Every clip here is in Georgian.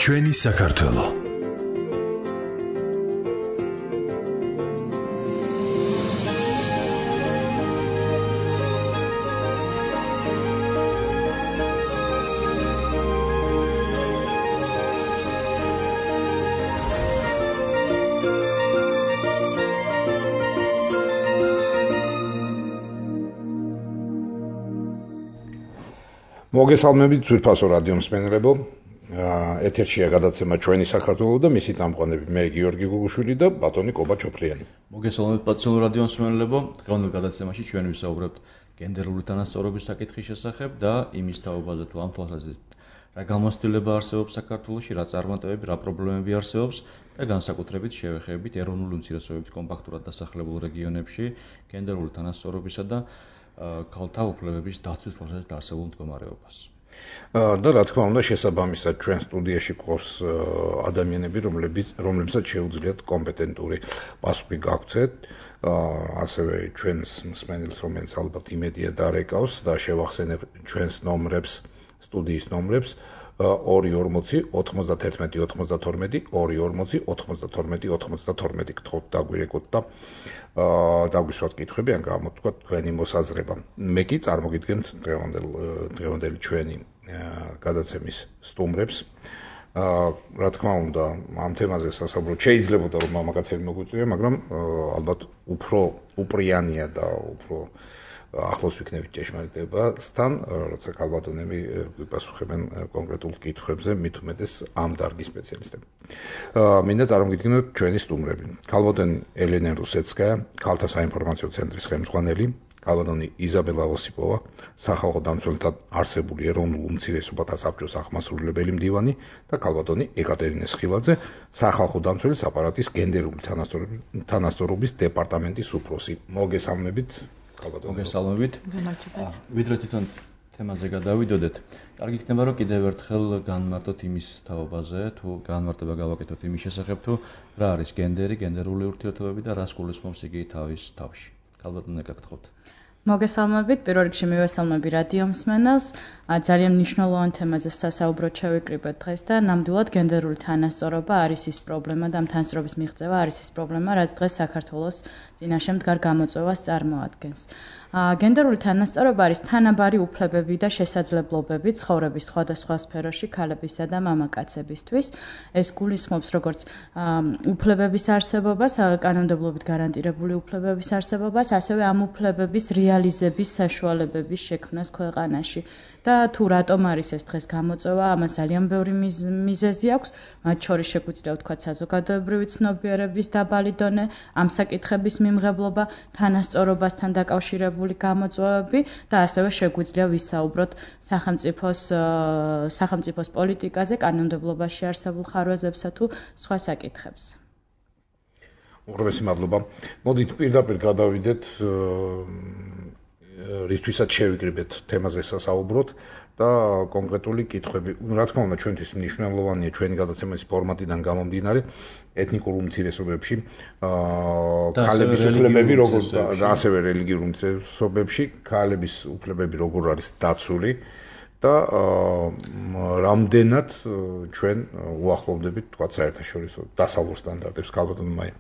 ჩვენი საქართველო. მოგესალმებით ძვირფასო რადიო მსმენელებო. ეთერშია გადაცემა ჩვენი საქართველო და მისი წამყვანები მე გიორგი გუგუშვილი და ბატონი კობა ჩოფლიანი. მოგესალმებით პატრიოტულ რადიო მსმენელებო. დღევანდელ გადაცემაში ჩვენ ვისაუბრებთ გენდერული თანასწორობის საკითხის შესახებ და იმის თაობაზე თუ ამ თვალსაზრისით რა გამოცდილება არსებობს საქართველოში, რა წარმატებები, რა პრობლემები არსებობს და განსაკუთრებით შევეხებით ეროვნული უმცირესობების კომპაქტურად დასახლებულ რეგიონებში გენდერული თანასწორობისა და ქალთა უფლებების დაცვის პროცესის არსებულ მდგომარეობას. და რა თქმა უნდა შესაბამისად ჩვენ სტუდიაში გვყავს ადამიანები, რომლებსაც შეუძლიათ კომპეტენტური პასუხი გაგვცეთ, ასევე ჩვენს მსმენელს, რომელიც ალბათ იმედია დარეკავს და შევახსენებ ჩვენს ნომრებს, სტუდიის ნომრებს 240 91 92 240 92 92 გთხოვთ დაგვირეკოთ და დაგვისვათ კითხვები ან გამოთქვათ თქვენი მოსაზრება. მე კი წარმოგიდგენთ დღევანდელი ჩვენი გადაცემის სტუმრებს. რა თქმა უნდა, ამ თემაზე სასაუბროთ შეიძლება რომ მამაკაცები მოგვიწვია, მაგრამ ალბათ უფრო უპრიანია და უფრო ახლოს ვიქნებით ჭეშმარიტებასთან, როცა ქალბატონები გვიპასუხებენ კონკრეტულ კითხვებზე, მით უმეტეს ამ დარგის სპეციალისტები. მინდა წარმოგიდგინოთ ჩვენი სტუმრები. ქალბატონი ელენე რუსეცკაია, ქალთა საინფორმაციო ცენტრის ხელმძღვანელი, ქალბატონი იზაბელა ოსიპოვა, სახალხო დამცველთა არსებული ეროვნულ უმცირესობათა საბჭოს აღმასრულებელი მდივანი და ქალბატონი ეკატერინე სხილაძე, სახალხო დამცველის აპარატის გენდერული თანასწორობის დეპარტამენტის უფროსი. მოგესალმებით. მოგესალმებით. ვიდრე თვითონ თემაზე გადავიდოდეთ, კარგი იქნება რომ კიდევ ერთხელ განმარტოთ იმის თაობაზე, თუ განმარტება გავაკეთოთ იმის შესახებ, თუ რა არის გენდერი, გენდერული ურთიერთობები და რას გულისხმობს იგი თავის თავში. ქალბატონი გაგთხოვთ. მოგესალმებით, პირველ რიგში მივესალმები რადიო მსმენელს. ძალიან მნიშვნელოვან თემაზე სასაუბროდ შევიკრიბეთ დღეს და ნამდვილად გენდერული თანასწორობა არის ის პრობლემა და თანასწორობის მიღწევა არის ის პრობლემა, რაც დღეს საქართველოს წინაშე მდგარ გამოწვევას წარმოადგენს. გენდერული თანასწორობა არის თანაბარი უფლებები და შესაძლებლობები ცხოვრების სხვადასხვა სფეროში ქალებისა და მამაკაცებისთვის. ეს გულისხმობს როგორც უფლებების არსებობას, კანონმდებლობით გარანტირებული უფლებების არსებობას, ასევე ამ უფლებების რეალიზების საშუალებების შექმნას ქვეყანაში. და თუ რატომ არის ეს დღეს გამოწვევა, ამას ძალიან ბევრი მიზეზი აქვს, მათ შორის შეგვიძლია ვთქვათ საზოგადოებრივი ცნობიერების დაბალი დონე, ამ საკითხების მიმღებლობა, თანასწორობასთან დაკავშირებული გამოწვევები და ასევე შეგვიძლია ვისაუბროთ სახელმწიფოს პოლიტიკაზე, კანონმდებლობაში არსებულ ხარვეზებსა თუ სხვა საკითხებს. უღრმესი მადლობა. მოდით პირდაპირ გადავიდეთ რისთვისაც შევიკრიბეთ თემაზე სასაუბროთ და კონკრეტული კითხვები. რა თქმა უნდა, ჩვენთვის მნიშვნელოვანია ჩვენი გადაცემის ფორმატიდან გამომდინარე ეთნიკურ უმცირესობებში ქალების უფლებები როგორ და ასევე რელიგიურ უმცირესობებში ქალების უფლებები როგორ არის დაცული და რამდენად ჩვენ უახლოვდებით თქვა საერთაშორისო დასავლურ სტანდარტებს. ქალბატონი მაია.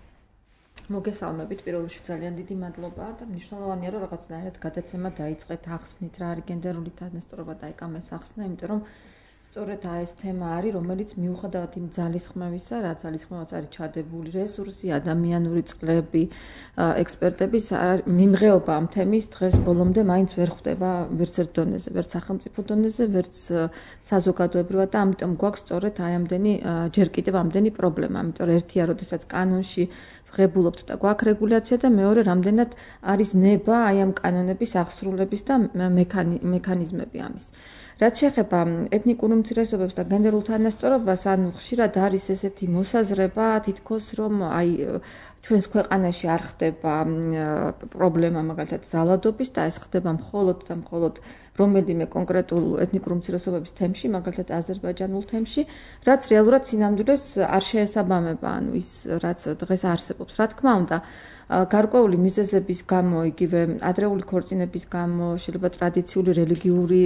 მოგესალმებით, პირველ რიგში ძალიან დიდი მადლობა და მნიშვნელოვანია რომ რაღაცნაირად გადაცემა დაიწყეთ ახსნით რა არის გენდერული თანასწორობა და ეკამეს ახსნა, იმიტომ რომ სწორედ ეს თემა არის, რომელიც მიუხედავად იმ ძალისხმევისა, რა ძალისხმევაც არის ჩადებული რესურსი, ადამიანური წყლები, ექსპერტების მიმღეობა ამ თემის დღეს ბოლომდე მაინც ვერ ხვდება ვერც ერთ დონეზე, ვერც სახელმწიფო დონეზე, ვერც საზოგადოებრივად და ამიტომ გვაქვს სწორედ ამდენი ჯერ კიდევ ამდენი პრობლემა, იმიტომ რომ ერთია, როდესაც კანონში ვღებულობთ და გვაქვს რეგულაცია და მეორე რამდენად არის ნება აი ამ კანონების აღსრულების და მექანიზმები ამის. რაც შეეხება ეთნიკურ უმცირესობებს და გენდერულ თანასწორობას, ანუ ხშირად არის ესეთი მოსაზრება, თითქოს რომ აი ჩვენს ქვეყანაში არ ხდება პრობლემა მაგალითად ზალადობის და ეს ხდება მხოლოდ და მხოლოდ რომელიმე კონკრეტულ ეთნიკურ უმცირესობების თემში, მაგალითად აზერბაიჯანულ თემში, რაც რეალურად სინამდვილეს არ შეესაბამება, ანუ ის რაც დღეს არსებობს. Რა თქმა უნდა, გარკვეული მიზეზების გამო, იგივე ადრეული ქორწინების გამო, შეიძლება ტრადიციული რელიგიური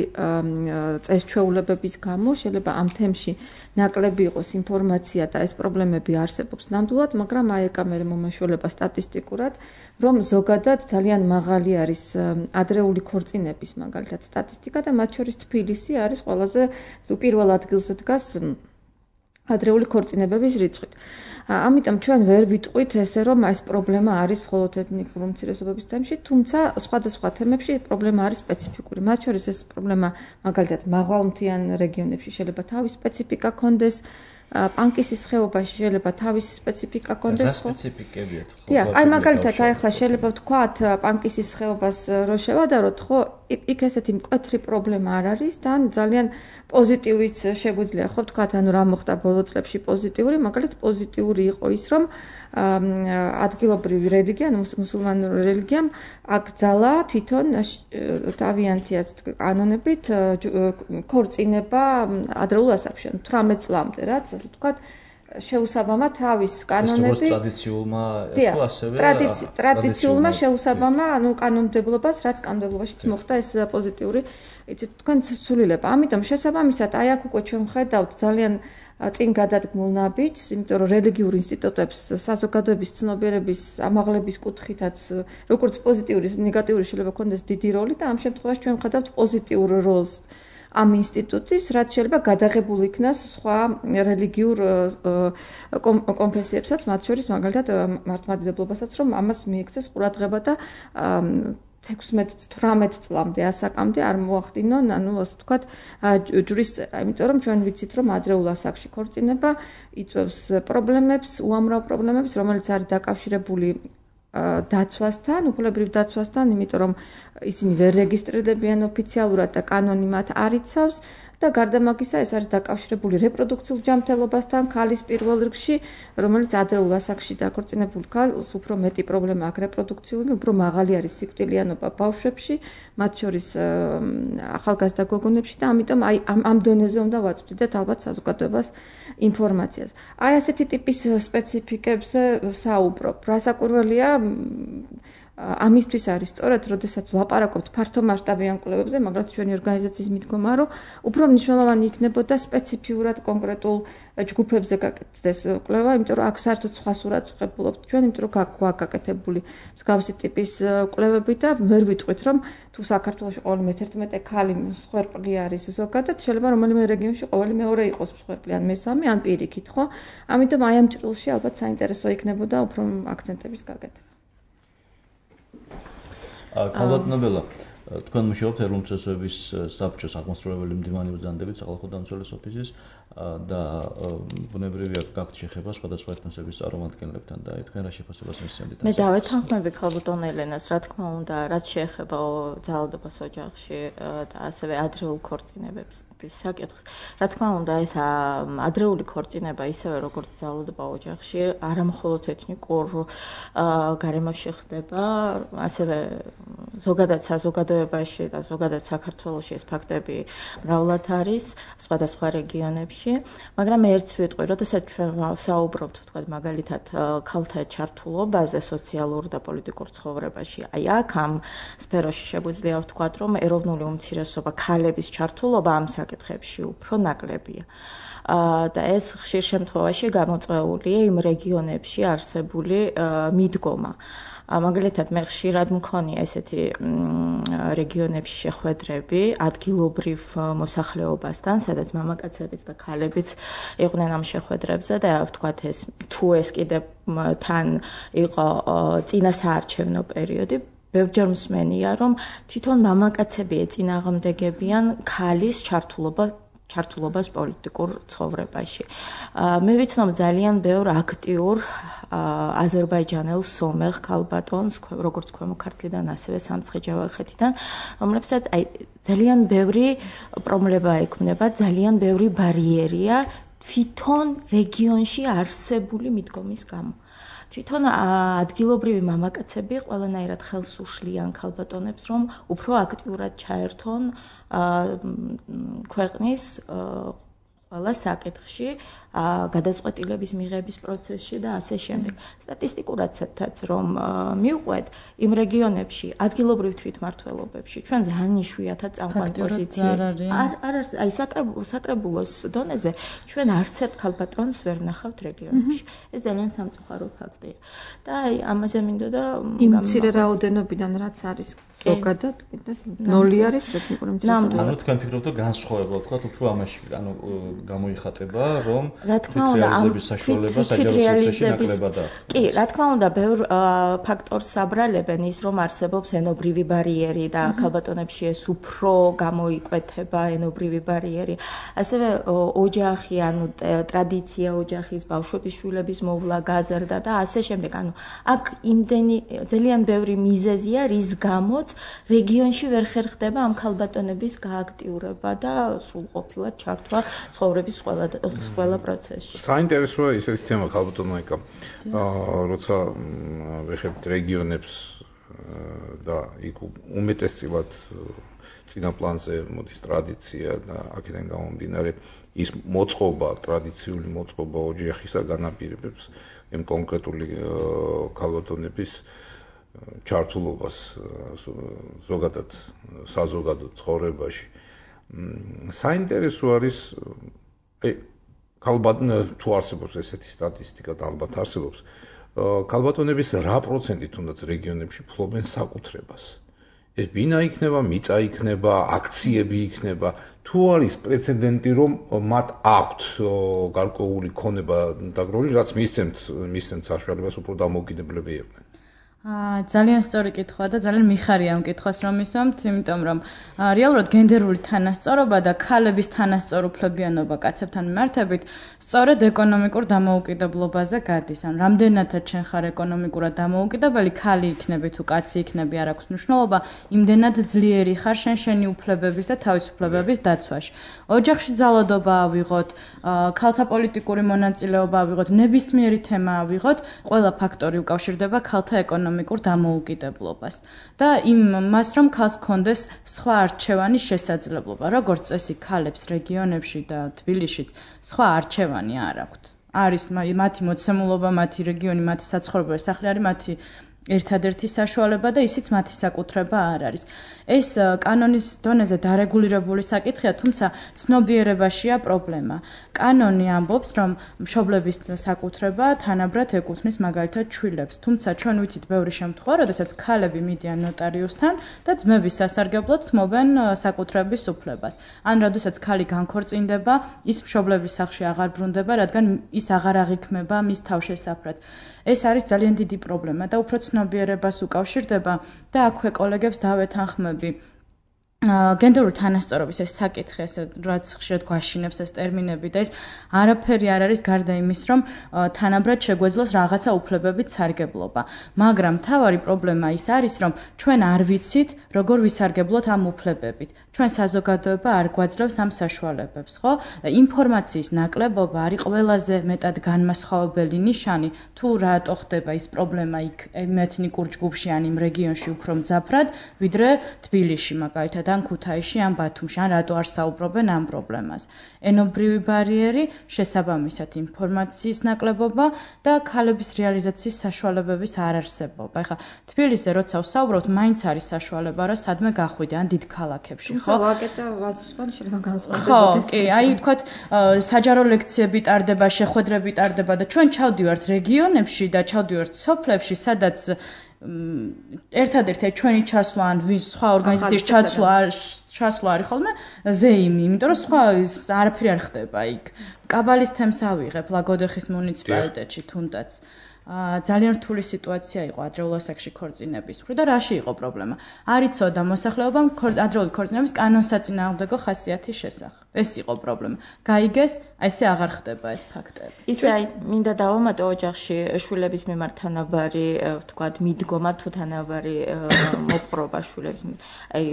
წესჩვეულებების გამო, შეიძლება ამ თემში ნაკლები იყოს ინფორმაცია და ეს პრობლემები არსებობს ნამდვილად, მაგრამ აი ეკა მე მომაშველება სტატისტიკურად, რომ ზოგადად ძალიან მაღალი არის ადრეული ქორწინების მაგალითად სტატისტიკა და მათ შორის თბილისი არის ყველაზე პირველ ადგილზე დგას ადრეული ქორწინებების რიცხვით. ამიტომ ჩვენ ვერ ვიტყვით ესე რომ ეს პრობლემა არის მხოლოდ ეთნიკური უმცირესობების თემში, თუმცა სხვადასხვა თემებში პრობლემა არის სპეციფიკური. მათ შორის ეს პრობლემა მაგალითად მაღალმთიან რეგიონებში შეიძლება თავის სპეციფიკა ქონდეს, პანკისის ხეობაში შეიძლება თავისი სპეციფიკა ქონდეს, ხო? სპეციფიკებია ხო? დიახ, აი მაგალითად აი ახლა შეიძლება ვთქვათ პანკისის ხეობას რო შევადაროთ, ხო? იქ ესეთი მკვეთრი პრობლემა არ არის და ძალიან პოზიტივიც შეგვიძლია ხო ვთქვათ, ანუ რა მოხდა ბოლო წლებში პოზიტიური, მაგალითად პოზიტიური იყო ის, რომ ადგილობრივი რელიგია, მუსულმანური რელიგიამ აკრძალა თვითონ თავიანთი კანონებით ქორწინება ადრეულ ასაკში, 18 წლამდე, რაც ასე ვთქვათ, შეუსაბამა თავის კანონები ტრადიციულმა თუ ასევე ტრადიციულმა შეუსაბამა, ანუ კანონმდებლობას, რაც კანონმდებლობაშიც მოხდა ეს პოზიტიური, იცით, თქვენ ცვლილება. ამიტომ შესაბამისად, აი აქ უკვე ჩვენ ხედავთ ძალიან წინ გადადგმულ ნაბიჯს, იმიტომ რომ რელიგიურ ინსტიტუტებს საზოგადოების ცნობიერების ამაღლების კუთხითაც, როგორც პოზიტიური, ნეგატიური შეიძლება ქონდეს დიდი როლი და ამ შემთხვევაში ჩვენ ხედავთ პოზიტიურ როლს ამ ინსტიტუტის, რაც შეიძლება გადაღებულ იქნას სხვა რელიგიურ კონფესიებსაც, მათ შორის მაგალითად მართლმადიდებლობასაც, რომ ამას მიექცეს ყურადღება და 16-18 წლამდე ასაკამდე არ მოახდინონ, ანუ ასე ვთქვათ, ჯვრის წერა, იმიტომ რომ ჩვენ ვიცით, რომ ადრეულ ასაკში ქორწინება იწვევს პრობლემებს, უამრავ პრობლემებს, რომელიც არის დაკავშირებული დაცვასთან, უფლებრივ დაცვასთან, იმიტომ რომ ისინი ვერ რეგისტრირდებიან ოფიციალურად და კანონი მათ არ იცავს და გარდა მაგისა ეს არის დაკავშირებული რეპროდუქციულ ჯანმრთელობასთან, ქალის პირველ რიგში, რომელიც ადრეულ ასაკში დაქორწინებულ ქალს უფრო მეტი პრობლემა აქვს რეპროდუქციული, უფრო მაღალი არის სიკვდილიანობა ბავშვებში, მათ შორის ახალგაზრდა გოგონებში და ამიტომ აი ამ დონეზე უნდა ვაწვდიდეთ ალბათ საზოგადოებას ინფორმაციას. აი ასეთი ტიპის სპეციფიკებზე საუბრობ. რასაკვირველია, ამისთვის არის სწორად, როდესაც ვლაპარაკობთ ფართო მასშტაბიან კვლევებზე, მაგრამ ჩვენი ორგანიზაციის მიდგომა, რომ უფრო მნიშვნელოვანი იქნებოდა სპეციფიურად კონკრეტულ ჯგუფებზე გაკეთდეს კვლევა, იმიტომ რომ აქ საერთოდ სხვა სურათს ვღებულობთ ჩვენ, იმიტომ რომ გვაქვს გაკეთებული მსგავსი ტიპის კვლევები და ვერ ვიტყვით, რომ თუ საქართველოში ყოველი 11 ქალი მსხვერპლი არის ზოგადად, შეიძლება რომელიმე რეგიონში ყოველი მეორე იყოს მსხვერპლი ან მესამე, ან პირიქით, ხო? ამიტომ აი ამ ჭრილში ალბათ საინტერესო იქნებოდა უფრო აქცენტების გაკეთება. ქალბატონობელა, თქვენ მუშაობთ ეროვნული უმცირესობების საბჭოს აღმასრულებელი მდივანი ბრძანდებით სახალხო დამცველის ოფისის და ბუნებრივია გაქვთ შეხება სხვადასხვა ეთნოსების წარმომადგენლებთან და თქვენ რა შეფასებას მისცემთ? მე დავეთანხმები ქალბატონ ელენას, რა თქმა უნდა, რაც შეეხება ძალადობას ოჯახში და ასევე ადრეულ ქორწინებებს საკითხს. რა თქმა უნდა, ეს ადრეული ქორწინება ისევე როგორც ძალადობა ოჯახში, არამხოლოდ ეთნიკურ გარემოში ხდება, ასევე ზოგადად საზოგადოებაში და ზოგადად საქართველოში ეს ფაქტები მრავლად არის სხვადასხვა რეგიონებში, მაგრამ ერთს ვიტყვი, როდესაც ჩვენ ვსაუბრობთ, ვთქვათ, მაგალითად, ქალთა ჩართულობაზე სოციალურ და პოლიტიკურ ცხოვრებაში, აი აქ ამ სფეროში შეგვიძლია ვთქვათ, რომ ეროვნული უმცირესობა ქალების ჩართულობა ამ საკითხებში უფრო ნაკლებია. და ეს ხშირ შემთხვევაში გამოწვეულია იმ რეგიონებში არსებული მიდგომა. მაგალითად, მე ხშირად მქონია ესეთი რეგიონებში შეხვედრები ადგილობრივ მოსახლეობასთან, სადაც მამაკაცებიც და ქალებიც იყვნენ ამ შეხვედრებზე და ვთქვათ, თუ ეს კიდევ თან იყო წინა საარჩევნო პერიოდი, ბევრჯერ მსმენია, რომ თვითონ მამაკაცები ეწინააღმდეგებიან ქალის ჩართულობას პოლიტიკურ ცხოვრებაში. მე ვიცნობ ძალიან ბევრ აქტიურ აზერბაიჯანელ სომეხ ქალბატონს, როგორც ქვემო ქართლიდან, ასევე სამცხე-ჯავახეთიდან, რომლებსაც ძალიან ბევრი პრობლემა ექმნება, ძალიან ბევრი ბარიერია თვითონ რეგიონში არსებული მიდგომის გამო. თვითონ ადგილობრივი მამაკაცები ყველანაირად ხელს უშლიან ქალბატონებს, რომ უფრო აქტიურად ჩაერთონ ქვეყნის ყველა საკითხში, გადაწყვეტილების მიღების პროცესში და ასე შემდეგ. სტატისტიკურადაც რომ მივყვეთ, იმ რეგიონებში, ადგილობრივ თვითმმართველობებში, ჩვენ ძალიან იშვიათად წამყვან პოზიციებში. არ არის, აი საკრებულოს დონეზე ჩვენ არც ერთ ქალბატონს ვერ ვნახავთ რეგიონებში. ეს ძალიან სამწუხარო ფაქტია. და აი ამაზე მინდოდა იმ მცირე რაოდენობიდან რაც არის ზოგადად, კიდე ნოლი არის ეთნიკური მცირეობა. ანუ თქვენ ფიქრობთ, რომ განსხვავება თქვა უფრო ამაში, ანუ გამოიხატება, რომ რა თქმა უნდა, რეალიზების საშუალება საჯარო სივრცეში ნაკლებადაა. კი, რა თქმა უნდა, ბევრ ფაქტორს საბრალებენ ის, რომ არსებობს ენობრივი ბარიერი და ქალბატონებში ეს უფრო გამოიკვეთება ენობრივი ბარიერი. ასევე ოჯახი, ანუ ტრადიცია ოჯახის, ბავშვების შვილების მოვლა, გაზრდა და ასე შემდეგ. ანუ აქ იმდენი ძალიან ბევრი მიზეზია, რის გამოც რეგიონში ვერ ხერხდება ამ ქალბატონების გააქტიურება და სრულყოფილად ჩართვა ცხოვრების ყველა პროცესში. საინტერესოა ისეთი თემა ქალბატონოიკა, როცა ვეხებთ რეგიონებს და იქ უმეტესწილად წინა პლანზე მოდის ტრადიცია და აქედან გამომდინარე ის მოწყობა, ტრადიციული მოწყობა ოჯახისა განაპირობებს იმ კონკრეტული ქალბატონების ჩართულობას ზოგადად საზოგადო ცხოვრებაში. საინტერესო არის თუ არსებობს ესეთი სტატისტიკა და ალბათ არსებობს, ქალბატონების რა პროცენტი თუნდაც რეგიონებში ფლობენ საკუთრებას. ეს ბინა იქნება, მიწა იქნება, აქციები იქნება, თუ არის პრეცედენტი, რომ მათ აქვთ გარკვეული ქონება დაგროვილი, რაც მისცემთ საშუალებას უფრო დამოუკიდებლები იყვნენ. ძალიან სწორი კითხვა და ძალიან მიხარია ამ კითხვას რომ მისვამთ, იმიტომ რომ რეალურად გენდერული თანასწორობა და ქალების თანასწორუფლებიანობა კაცებთან მიმართებით სწორედ ეკონომიკურ დამოუკიდებლობაზე გადის. ან რამდენადაც შენ ხარ ეკონომიკურად დამოუკიდებელი, ქალი იქნები თუ კაცი იქნები, არ აქვს მნიშვნელობა, იმდენად ძლიერი ხარ შენი უფლებების და თავისუფლებების დაცვაში. ოჯახში ძალადობა ავიღოთ, ქალთა პოლიტიკური მონაწილეობა ავიღოთ, ნებისმიერი თემა ავიღოთ, ყველა ფაქტორი უკავშირდება ქალთა ეკონომიკურ დამოუკიდებლობას და იმას რომ ქალს ჰქონდეს სხვა არჩევანი შესაძლებლობა, როგორც წესი ქალებს რეგიონებში და თბილისშიც სხვა არჩევანი არ აქვთ. არის მათი მოცემულობა, მათი რეგიონი, მათი საცხოვრებელი სახლი არის მათი ერთადერთი საშუალება და ისიც მათი საკუთრება არ არის. ეს კანონის დონეზე დარეგულირებული საკითხია, თუმცა ცნობიერებაშია პრობლემა. კანონი ამბობს, რომ მშობლების საკუთრება თანაბრად ეკუთვნის მაგალითად შვილებს, თუმცა ჩვენ ვიცით ბევრი შემთხვევა, როდესაც ქალები მიდიან ნოტარიუსთან და ძმების სასარგებლოდ თმობენ საკუთრების უფლებას. ან როდესაც ქალი განქორწინდება, ის მშობლების სახლში აღარ ბრუნდება, რადგან ის აღარ აღიქმება მის თავშესაფრად. ეს არის ძალიან დიდი პრობლემა და უფრო ცნობიერებას უკავშირდება და აქვე კოლეგებს დავეთანხმები. გენდერული თანასწორობის ეს საკითხი, ესე რაც ხშირად გვაშინებს ეს ტერმინები და ეს არაფერი არ არის გარდა იმის, რომ თანაბრად შეგვეძლოს რაღაცა უფლებებით სარგებლობა. მაგრამ მთავარი პრობლემა ის არის, რომ ჩვენ არ ვიცით, როგორ ვისარგებლოთ ამ უფლებებით. ჩვენ საზოგადოება არ გვაძლევს ამ საშუალებებს, ხო? ინფორმაციის ნაკლებობა არის ყველაზე მეტად განმასხვავებელი ნიშანი, თუ რატო ხდება ის პრობლემა იქ ეთნიკურ ჯგუფში ან იმ რეგიონში უფრო მძაფრად, ვიდრე თბილისში მაგალითად ან ქუთაისში ან ბათუმში, ან რატო არ საუბრობენ ამ პრობლემას. ენობრივი ბარიერი, შესაბამისად ინფორმაციის ნაკლებობა და ქალების რეალიზაციის საშუალებების არარსებობა. ეხლა თბილისზე როცა ვსაუბრობთ, მაინც არის საშუალება, რომ სადმე გახვიდე ან დიდ ქალაქებში, ხო? ვაკეტა ვაზუსვანი შეიძლება განსხვავდეს. ხო, კი, აი თქვათ საჯარო ლექციები ტარდება, შეხვედრები ტარდება და ჩვენ ჩავდივართ რეგიონებში და ჩავდივართ სოფლებში, სადაც ერთადერთი ჩვენი ჩასვლა ან სხვა ორგანიზაციის ჩასვლა არის ხოლმე ზეიმი, იმიტომ რომ სხვა არაფერი არ ხდება იქ. კაბალის თემს ავიღებ ლაგოდეხის მუნიციპალიტეტში თუნდაც. ძალიან რთული სიტუაცია იყო ადრეულ ასაკში ქორწინების მხრივ და რაში იყო პრობლემა? არ იცოდა მოსახლეობამ ადრეული ქორწინების კანონსაწინააღმდეგო ხასიათის შესახებ. ეს იყო პრობლემა. გაიგეს, ესე აღარ ხდება ეს ფაქტები. ისე აი მინდა დავამატო ოჯახში შვილების მიმართ თანაბარი, ვთქვათ, მიდგომა თუ თანაბარი მოპყრობა შვილების. აი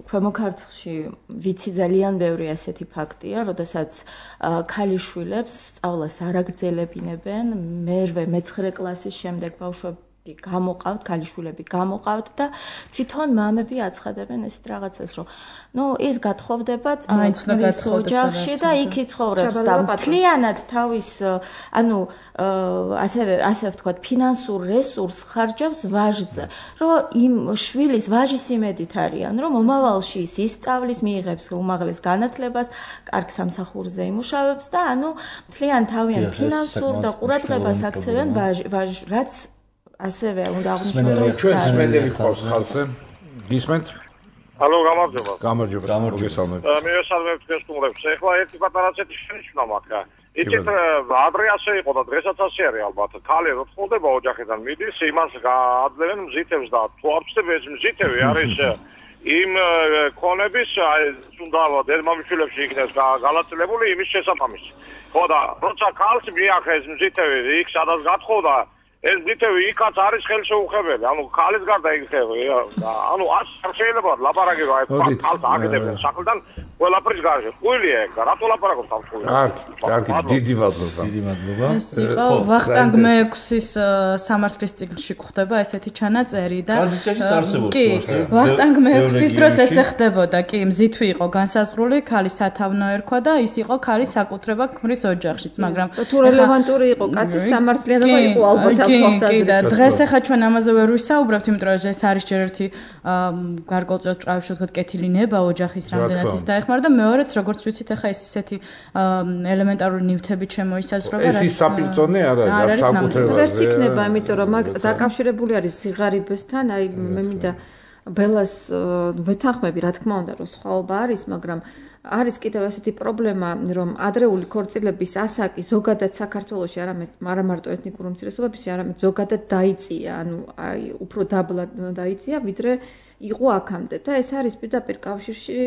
ქვემო ქართლში ვიცი ძალიან ბევრი ასეთი ფაქტია, როდესაც ქალი შვილებს სწავლას არ აგრძელებინებენ, მერვე მეცხრე კლასის შემდეგ ბავშვები გამოყავთ, ქალიშვილები გამოყავთ და თვითონ მამები აცხადებენ ესეთ რაღაცას, რომ ის გათხოვდება წამოწმის ოჯახში და იქ იცხოვრებს და მთლიანად თავის, ასე ვთქვათ, ფინანსურ რესურსს ხარჯავს ვაჟზე, რომ იმ შვილის ვაჟის იმედით არიან, რომ მომავალში ის ისწავლის, მიიღებს უმაღლეს განათლებას, კარგ სამსახურზე იმუშავებს და მთლიან თავიანთ ფინანსურ და ყურადღებას აქცევენ ვაჟს, რაც ასევე უნდა აღნიშნოს ჩვენ სმენელი ყავს ხალხზე გისმენთ ალო გამარჯობა მოგესალმებით მივესალმებით თქვენს სტუმრებს ეხლა ერთი პატარა ცეთი შენიშნა მაქვს იცით ადრე ასე იყო და დღესაც ასე არის ალბათ ქალი რო თხოვდება ოჯახიდან მიდის იმას გააძლევენ მზითებს და თუ არ ვწდები ეს მზითები არის იმ ქონების უნდა დედმამიშვილებში იქნეს განაწილებული იმის შესაბამისი ხო და როცა ქალს მიახეს მზითები იქ სადაც გათხოვდა ეს მზითები იქაც არის ხელშეუხებელი ქალის გარდა იქნება არ შეიძლება ლაპარაკი რა ქალს აგდებენ სახლიდან ყველაფრის გარშე ყვილია ეგ და რატო ლაპარაკობთ ამ ხულს კარგი დიდი მადლობა ეს იყო ვახტანგ მე-6-ის სამართლის წიგნში გვხდება ესეთი ჩანაწერი და კი ვახტანგ მე-6-ის დროს ესე ხდებოდა კი მზითვი იყო განსაზღვრული ქალის სათავნო ერქვა და ის იყო ქალის საკუთრება ქმრის ოჯახშიც მაგრამ თუ რელევანტური იყო კაცის სამართლიანობა იყო ალბათ კი და დღეს ახლა ჩვენ ამაზე ვერ ვისაუბრებთ, იმიტომ რომ ეს არის ჯერ ერთი გარკვეულწილად წავშ ვთქვათ კეთილი ნება ოჯახის რამდენად ის დაეხმარა და მეორეც როგორც ვიცით ახლა ეს ისეთი ელემენტარული ნივთები შემოისაზღვრება ეს ის საპირწონე არ არის საკუთრებაზე ვერც იქნება იმიტომ რომ დაკავშირებული არის სიღარიბესთან აი მე მინდა ბელას ვეთანხმები რა თქმა უნდა რომ სხვაობა არის მაგრამ არის კიდევ ასეთი პრობლემა რომ ადრეული ქორწილების ასაკი ზოგადად საქართველოში არა მარტო ეთნიკური უმცირესობების არამედ ზოგადად დაიწია აი უფრო დაბლა დაიწია ვიდრე იყო აქამდე და ეს არის პირდაპირ კავშირში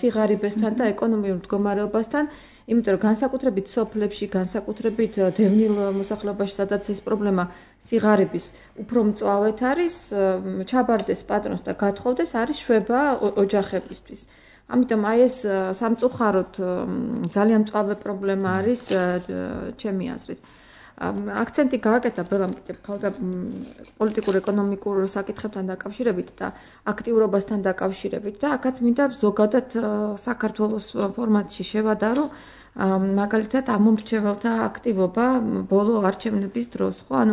სიღარიბესთან და ეკონომიურ მდგომარეობასთან იმიტომ რომ განსაკუთრებით სოფლებში განსაკუთრებით დევნილ მოსახლეობაში სადაც ეს პრობლემა სიღარიბის უფრო მწვავედ არის ჩაბარდეს პატრონს და გათხოვდეს არის შვება ოჯახებისთვის ამიტომ აი ეს სამწუხაროდ ძალიან მწვავე პრობლემა არის ჩემი აზრით. აქცენტი გააკეთა ბელამ კიდევ ხალხთა პოლიტიკურ-ეკონომიკურ საკითხებთან დაკავშირებით და აქტიურობასთან დაკავშირებით და აქაც მინდა ზოგადად საქართველოს ფორმატში შევადარო მაგალითად ამომრჩეველთა აქტივობა ბოლო არჩევნების დროს, ხო?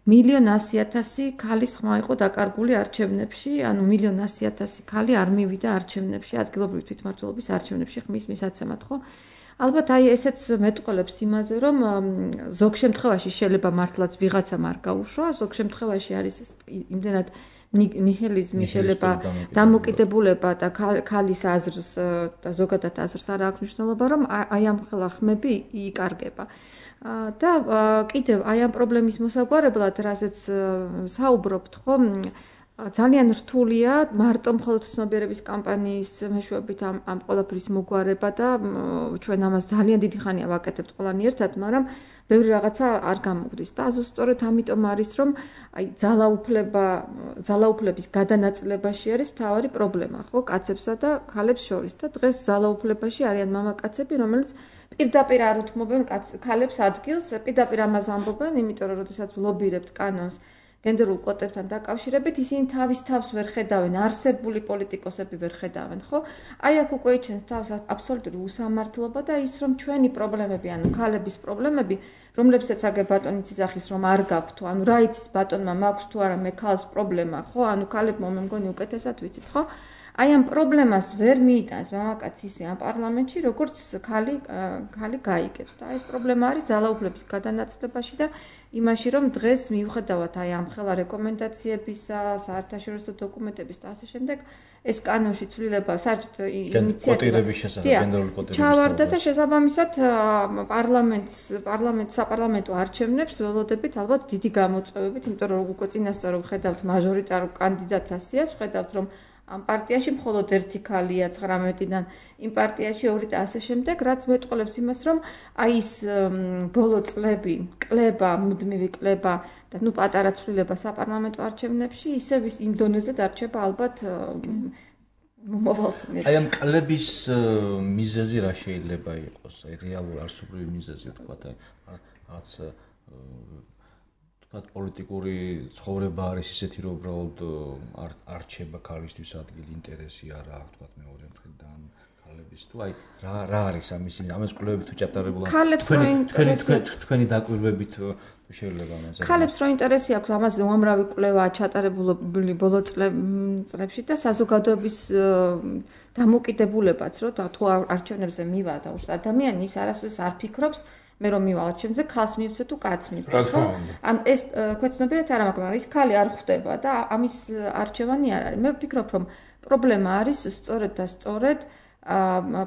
1,100,000 ქალის ხმა იყო დაკარგული არჩევნებში, 1,100,000 ქალი არ მივიდა არჩევნებში, ადგილობრივი თვითმმართველობის არჩევნებში ხმის მისაცემად, ხო? ალბათ აი ესეც მეტყოლებს იმაზე, რომ ზოგ შემთხვევაში შეიძლება მართლაც ვიღაცამ არ გაუშვა, ზოგ შემთხვევაში არის იმდენად ნიჰილიზმი შეიძლება დამოკიდებულება და ქალის აზრს და ზოგადად აზრს არ აქვს მნიშვნელობა, რომ აი ამ ხელა ხმები იკარგება. და კიდევ აი ამ პრობლემის მოსაგვარებლად, რასაც საუბრობთ, ხო, ძალიან რთულია მარტო მხოლოდ ცნობიერების კამპანიის მეშვეობით ამ ყველაფრის მოგვარება და ჩვენ ამას ძალიან დიდი ხანია ვაკეთებთ ყველანი ერთად, მაგრამ ბევრი რაღაცა არ გამოგვდის და ზუსტად ამიტომ არის რომ აი ძალაუფლების გადანაწილებაში არის მთავარი პრობლემა, ხო, კაცებსა და ქალებს შორის და დღეს ძალაუფლებაში არიან მამაკაცები, რომელიც პირდაპირ არ უთმობენ ქალებს ადგილს, პირდაპირ ამას ამბობენ, იმიტომ რომ როდესაც ვლობირებთ კანონს გენდერულ კვოტებთან დაკავშირებით, ისინი თავის თავს ვერ ხედავენ, არსებული პოლიტიკოსები ვერ ხედავენ, ხო? აი აქ უკვე იჩენს თავს აბსოლუტური უსამართლობა და ის რომ ჩვენი პრობლემები, ქალების პრობლემები, რომლებსაც აგერ ბატონი ციზახის რომ არ გაქვთ, რა იცის ბატონმა მაქვს თუ არა მე ქალს პრობლემა, ხო? ქალებმა მე მგონი უკეთესად ვიცით, ხო? აი ამ პრობლემას ვერ მიიტანს მამაკაცი ისე ამ პარლამენტში, როგორც ქალი გაიგებს და ეს პრობლემა არის ძალაუფლების გადანაწილებაში და იმაში, რომ დღეს მიუხედავად აი ამ ხელა რეკომენდაციებისა, საერთაშორისო დოკუმენტების და ასე შემდეგ, ეს კანონში ცვლილება საერთოდ ინიციატივა ჩავარდა და შესაბამისად საპარლამენტო არჩევნებს ველოდებით ალბათ დიდი გამოწვევებით, იმიტომ რომ უკვე წინასწარ ვხედავთ მაჟორიტარულ კანდიდატთა სიას, ვხედავთ რომ ამ პარტიაში მხოლოდ ერთი ქალია 19-დან, იმ პარტიაში 2 და ასე შემდეგ, რაც მეტყოლებს იმას, რომ აი ეს ბოლო წლები, კლება, მუდმივი კლება და პატარა ცვლილება საპარლამენტო არჩევნებში, ისევ იმ დონეზე დარჩება ალბათ მომავალ წლებში. აი ამ კლების მიზეზი რა შეიძლება იყოს? აი რეალური არსობრივი მიზეზი ვთქვათ, რაღაც თქვა პოლიტიკური ცხოვრება არის ისეთი, რომ უბრალოდ არ რჩება ქალისთვის ადგილი, ინტერესი არა აქვს, თქვა მეორე მხრიდან ქალების თუ აი რა არის ამის კვლევები თუ ჩატარებულა თქვენი დაკვირვებით შეიძლება ამაზე ქალებს რო ინტერესი აქვს ამაზე უამრავი კვლევა ჩატარებული ბოლო წლებში და საზოგადოების დამოკიდებულებაც რომ თუ არჩევნებზე მივა და ადამიანი ის არასდროს არ ფიქრობს მე რომ მივალ ჩემზე ქალს მივცე თუ კაცს მივცე ხო? ან ეს ქვეცნობიერად არ მაქვს, მაგრამ ის ქალი არ ხვდება და ამის არჩევანი არ არის. მე ვფიქრობ, რომ პრობლემა არის სწორედ და სწორედ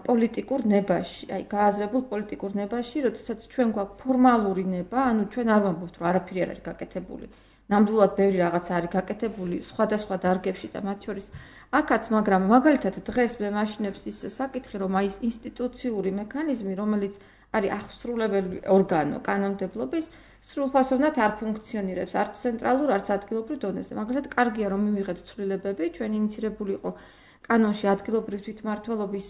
პოლიტიკურ ნებაში, აი გააზრებულ პოლიტიკურ ნებაში, როდესაც ჩვენ გვაქვს ფორმალური ნება, ანუ ჩვენ არ ვამბობთ, რომ არაფერი არ არის გაკეთებული. ნამდვილად ბევრი რაღაც არის გაკეთებული სხვადასხვა დარგებში და მათ შორის აქაც, მაგრამ მაგალითად დღეს მე მაშინებს ის საკითხი, რომ აი ინსტიტუციური მექანიზმი, რომელიც არის აღსრულებელი ორგანო კანონმდებლობის, სრულფასოვნად არ ფუნქციონირებს არც ცენტრალურ, არც ადგილობრივ დონეზე. მაგალითად, კარგია რომ მივიღეთ ცვლილებები, ჩვენ ინიცირებული იყო კანონში ადგილობრივ თვითმმართველობის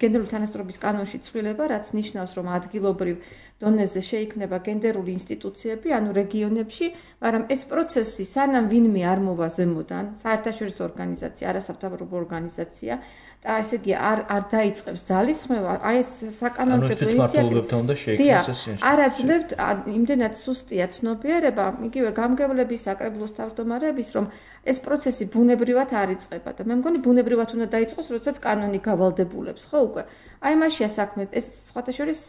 გენდერული თანასწორობის კანონში ცვლილება, რაც ნიშნავს, რომ ადგილობრივ დონეზე შეიქმნება გენდერული ინსტიტუციები, ანუ რეგიონებში, მაგრამ ეს პროცესი სანამ ვინმე არ მოვა ზემოდან, საერთაშორისო ორგანიზაცია, არასამთავრობო ორგანიზაცია და ესე იგი არ დაიწყებს ძალისხმევა, აი ეს საკანონმდებლო ინიციატივა არ აძლევთ იმდენად სუსტია ცნობიერება, იგივე გამგებლების საკრებულოს თავმჯდომარეების, რომ ეს პროცესი ბუნებრივად არ იწყება და მე მგონი ბუნებრივად უნდა დაიწყოს, როდესაც კანონი გავალდებულებს, ხო უკვე. აი მაშია საქმე, ეს სხვათა შორის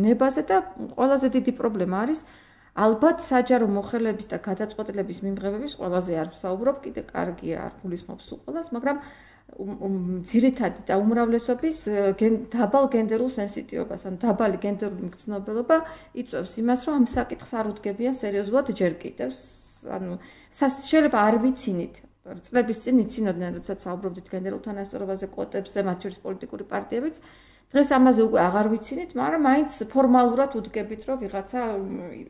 ნებაზე და ყველაზე დიდი პრობლემა არის ალბათ საჯარო მოხელების და გადაწყვეტილების მიმღებების ყველაზე არ ვსაუბრობ, კიდე კარგია არ გულისხმობს უყოლას, მაგრამ ძირითადი და უმრავლესობის დაბალ გენდერულ სენსიტივობას, ანუ დაბალი გენდერული მგრძნობელობა იწვევს იმას, რომ ამ საკითხს არ უდგებიან სერიოზულად ჯერ კიდევ. ანუ შეიძლება არ ვიცინით, წლების წინ იცინოდნენ, როდესაც საუბრობდით გენდერულ თანასწორობაზე, კვოტებზე, მათ შორის პოლიტიკური პარტიებიც. დღეს ამაზე უკვე აღარ ვიცინით, მაგრამ მაინც ფორმალურად უდგებით, რომ ვიღაცა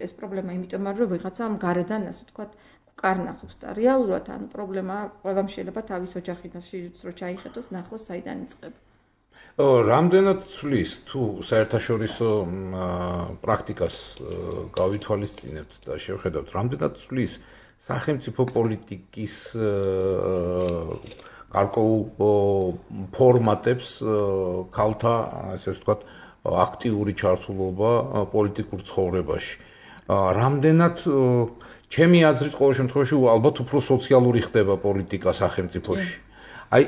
ეს პრობლემა იმიტომ არის, რომ ვიღაცა ამ გარედან, ასე ვთქვათ, კარნახობს და რეალურად ანუ პრობლემა ყველამ შეიძლება თავის ოჯახიდან რო ჩაიხედოს, ნახოს საიდან იწყება. რამდენად ცვლის თუ საერთაშორისო პრაქტიკას გავითვალისწინებთ და შევხედავთ, რამდენად ცვლის სახელმწიფო პოლიტიკის გარკვეულ ფორმატებს ქალთა, ასე ვთქვათ, აქტიური ჩართულობა პოლიტიკურ ცხოვრებაში. რამდენად ჩემი აზრით ყოველ შემთხვევაში ალბათ უფრო სოციალური ხდება პოლიტიკა სახელმწიფოში. აი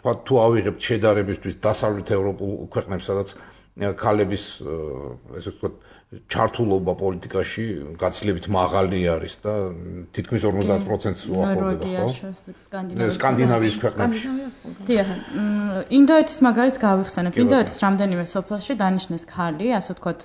თუ ავიღებთ შედარებისთვის დასავლეთ ევროპულ ქვეყნებს, სადაც ქალების ესე ვთქვათ ჩართულობა პოლიტიკაში გაცილებით მაღალი არის და თითქმის 50%-ს უახლოვდება, ხო? სკანდინავიის ქვეყნებში. დიახ. ინდოეთის მაგალითს გავიხსენებ. ინდოეთის რამდენიმე სოფელში დანიშნეს ქალი, ასე ვთქვათ,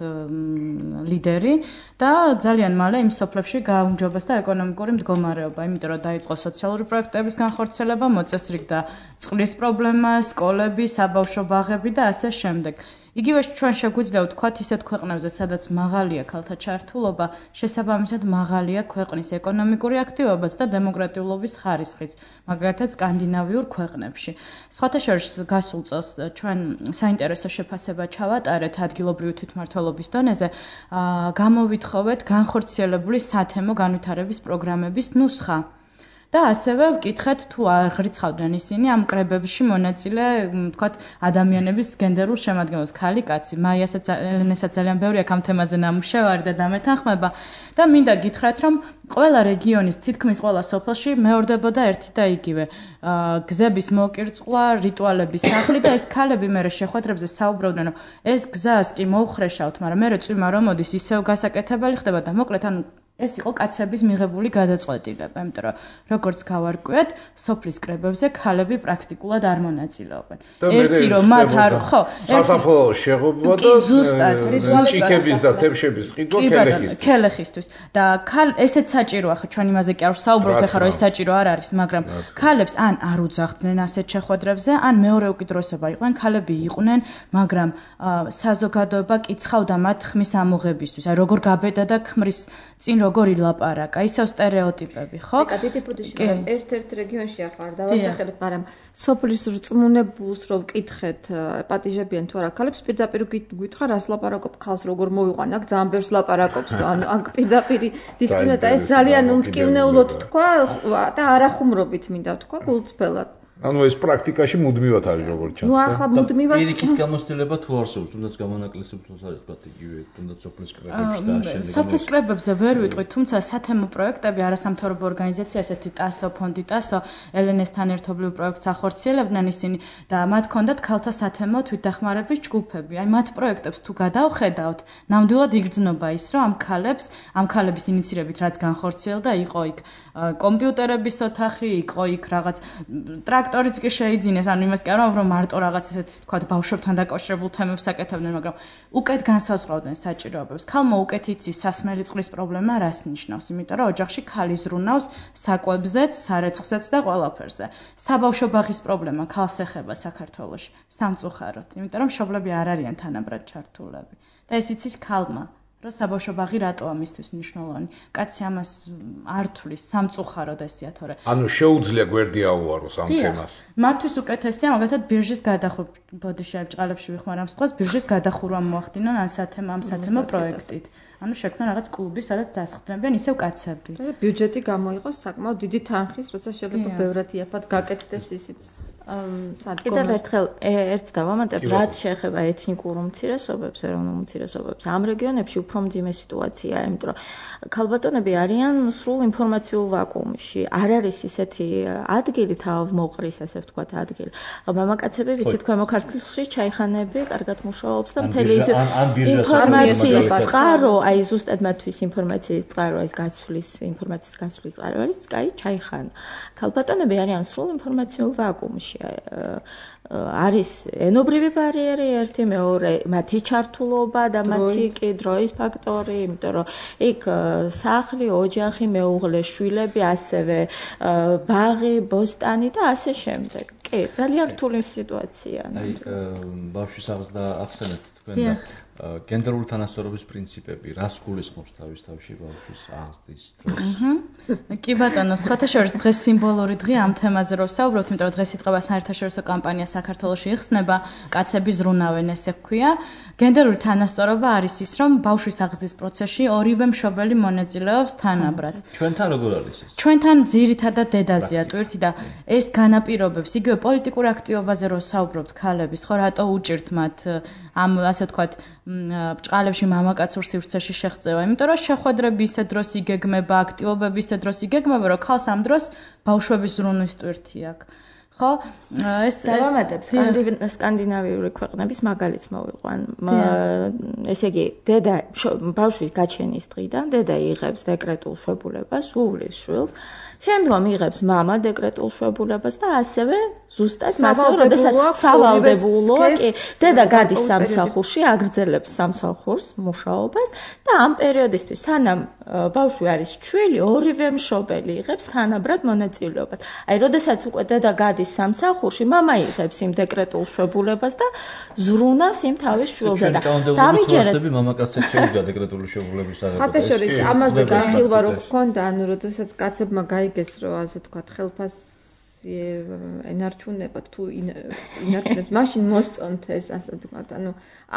ლიდერი და ძალიან მალე იმ სოფლებში გააუმჯობესდა ეკონომიკური მდგომარეობა, იმიტომ რომ დაიწყო სოციალური პროექტების განხორციელება, მოწესრიგდა წყლის პრობლემა, სკოლები, საბავშვო ბაღები და ასე შემდეგ. იგივე ჩვენ შეგვიძლია ვთქვათ ისეთ ქვეყნებზე, სადაც მაღალია ქალთა ჩართულობა, შესაბამისად მაღალია ქვეყნის ეკონომიკური აქტივობაც და დემოკრატიულობის ხარისხიც, მაგალითად სკანდინავიურ ქვეყნებში. სხვათა შორის გასულ წელს ჩვენ საინტერესო შეფასება ჩავატარეთ ადგილობრივი თვითმმართველობის დონეზე, გამოვითხოვეთ განხორციელებული სათემო განვითარების პროგრამების ნუსხა. და ასევე ვკითხეთ თუ არ ღრიცხავდნენ ისინი ამ კრებებში მონაწილე, ვთქვათ, ადამიანების გენდერულ შემადგენლობას, ქალი, კაცი. მაიასაც ელენესაც ძალიან ბევრი აქ ამ თემაზე ნამუშევარი და დამეთანხმება და მინდა გითხრათ, რომ ყველა რეგიონის თითქმის ყველა სოფელში მეორდებოდა ერთი და იგივე გზების მოკირწყვა, რიტუალების სახლი და ეს ქალები მერე შეხვედრებზე საუბრობდნენ, რომ ეს გზას კი მოუხრეშავთ, მაგრამ მერე წვიმა რომ მოდის ისევ გასაკეთებელი ხდება და მოკლედ ანუ ეს იყო კაცების მიღებული გადაწყვეტილება, იმიტომ რომ როგორც გავარკვიეთ, სოფლის კრებებზე ქალები პრაქტიკულად არ მონაწილეობენ. ერთი რომ მათ არ ხო, სასაფლაო შეღობა და ჭიქების და თემშების ყიდვა ქელეხისთვის. და ესეც საჭიროა, ხო ჩვენ იმაზე კი არ ვსაუბრობთ, ახლა რომ ეს საჭირო არ არის, მაგრამ ქალებს ან არ უძახდნენ ასეთ შეხვედრებზე, ან მეორე უკიდურესობა იყვნენ, ქალები იყვნენ, მაგრამ საზოგადოება კიცხავდა მათ ხმის ამოღებისთვის, აი როგორ გაბედა და ქმრის წინ როგორ ილაპარაკა, ისევ სტერეოტიპები, ხო? ეკა დიდი ბუდიში ერთ-ერთ რეგიონში ახლა არ დავასახელებ, მაგრამ სოფლის რწმუნებულს რო ვკითხეთ, პატიჟებიან თუ არა ქალებს, პირდაპირ გითხრა რას ლაპარაკობ ქალს როგორ მოვიყვან, აქ ძალიან ბევრს ლაპარაკობს, ანუ აქ პირდაპირ დისკრიმინაცია, ეს ძალიან უმტკივნეულოდ თქვა და არახუმრობით მინდა თქვა გულწრფელად. ანუ ეს პრაქტიკაში მუდმივად არის როგორ ჩანს. ნუ ახლა მუდმივად პირიქით გამოცდილება თუ არსებობს, თუნდაც გამონაკლისებს არის იგივე, თუნდაც სოფლის კრებებში და შემდეგ. სოფლის კრებებზე ვერ ვიტყვით, თუმცა სათემო პროექტები, არასამთავრობო ორგანიზაცია, ესეთი TASO ფონდი TASO, ელენესთან ერთობლივ პროექტს ახორციელებდნენ ისინი და მათ ჰქონდათ ქალთა სათემო თვითდახმარების ჯგუფები. აი მათ პროექტებს თუ გადავხედავთ, ნამდვილად იგრძნობა ის, რომ ამ ქალების ინიცირებით რაც განხორციელდა, იყო იქ კომპიუტერების ოთახი, იყო იქ რაღაც ტრაქტორიც კი შეიძინეს, ანუ იმას კი არა, რომ მარტო რაღაც ესეთ თქვა ბავშვებთან დაკავშირებულ თემებს აკეთებდნენ, მაგრამ უკეთ განსაზღვრავდნენ საჭიროებებს. ქალმა უკეთ იცის სასმელი წყლის პრობლემა რას ნიშნავს, იმიტომ რომ ოჯახში ქალი ზრუნავს საკვებზეც, სარეცხზეც და ყველაფერზე. საბავშვო ბაღის პრობლემა ქალს ეხება საქართველოში სამწუხაროდ, იმიტომ რომ მშობლები არ არიან თანაბრად ჩართულები. და ეს იცის ქალმა. რომ საბავშვო ბაღი რატოა მისთვის მნიშვნელოვანი. კაცი ამას არ თulis სამწუხაროდ ესია თორე. ანუ შეუძლია გვერდი აუაროს ამ თემას. მათთვის უკეთესია მაგალითად ბირჟის გადახურვა. ბოდიში აი ბჭყალებში ვიხმარ ამ სწავს ბირჟის გადახურვა მოახდინონ ამ სათემო პროექტით. ანუ შექმნა რაღაც კლუბი, სადაც დასხდებიან ისევ კაცები. და ბიუჯეტი გამოიყოს საკმაოდ დიდი თანხის, როცა შეიძლება ბევრად იაფად გაკეთდეს ისიც სადგომი. კიდევ ერთხელ ერთს დავამატებ, რაც შეეხება ეთნიკურ უმცირესობებს, ეროვნულ უმცირესობებს, ამ რეგიონებში უფრო მძიმე სიტუაციაა, იმიტომ რომ ქალბატონები არიან სრულ ინფორმაციულ ვაკუუმში. არ არის ისეთი ადგილი თავმოყრის, ასე ვთქვათ, ადგილი. მამაკაცები, ვიცით, ქვემო ქართლში ჩაიხანები კარგად მუშაობს და მთელი ინფორმაციის წყარო, აი ზუსტად მათთვის ინფორმაციის წყარო, ეს ინფორმაციის გაცვლის წყარო არის, კაი, ჩაიხანა. ქალბატონები არიან სრულ ინფორმაციულ ვაკუუმში. არის ენობრივი ბარიერი ერთი, მეორე მათი ჩართულობა და მათი კი დროის ფაქტორი, იმიტომ რომ იქ სახლი, ოჯახი, მეუღლე, შვილები, ასევე ბაღი, ბოსტანი და ასე შემდეგ. კი, ძალიან რთული სიტუაცია. აი, ბავშვის აღზრდა ახსენეთ თქვენ და გენდერული თანასწორობის პრინციპები, რას გულისხმობს თავში ბავშვის აღზრდის დროს? კი ბატონო, ხათაშორის დღეს სიმბოლური დღე ამ თემაზე რო ვსაუბრობთ, იმიტომ რომ დღეს იწყება საერთაშორისო კამპანია საქართველოში იხსნება, კაცები ზრუნავენ, ესე ვქვია. გენდერული თანასწორობა არის ის, რომ ბავშვის აღზრდის პროცესში ორივე მშობელი მონაწილეობს თანაბრად. ჩვენთან როგორ არის ეს? ჩვენთან ძირითადად დედაზეა ტვირთი და ეს განაპირობებს იგივე პოლიტიკურ აქტივობაზე რო ვსაუბრობთ ქალების, ხო რატო უჭირთ მათ ამ ასე ვთქვათ ბჭყალებში მამაკაცურ სივრცეში შეღწევა, იმიტომ რომ შეხვედრები ისე დროს იგეგმება, აქტივობები ისე დროს იგეგმება, რომ ქალს ამ დროს ბავშვების ზრუნვის ტვირთი აქვს. ხო? ეს დავამატებ სკანდინავიური ქვეყნების მაგალითს მოვიყვან. ესე იგი, დედა ბავშვის გაჩენის დღიდან დედა იღებს დეკრეტულ შვებულებას, უვლის შვილს. შემდგომ იღებს მამა დეკრეტულ შვებულებას და ასევე ზუსტად მასალა, როდესაც სავალდებულოა, კი, დედა გადის სამსახურში, აგრძელებს სამსახურს, მუშაობას და ამ პერიოდისთვის, სანამ ბავშვი არის ჩვილი, ორივე მშობელი იღებს თანაბრად მონაწილეობას. აი, როდესაც უკვე დედა გადის სამსახურში, მამა იღებს იმ დეკრეტულ შვებულებას და ზრუნავს იმ თავის შვილზე და დამიჯერეთ მამაკაცებს შეუძლია დეკრეტული შვებულების აღება. ხათაშორის ამაზე განხილვა რო გქონდა, ანუ როდესაც კაცებმა გაიგეს, რომ ასე თქვათ, ხელფასი ენარჩუნებათ თუ ინარჩუნებთ, მაშინ მოსწონთ ეს, ასე თქვათ, ანუ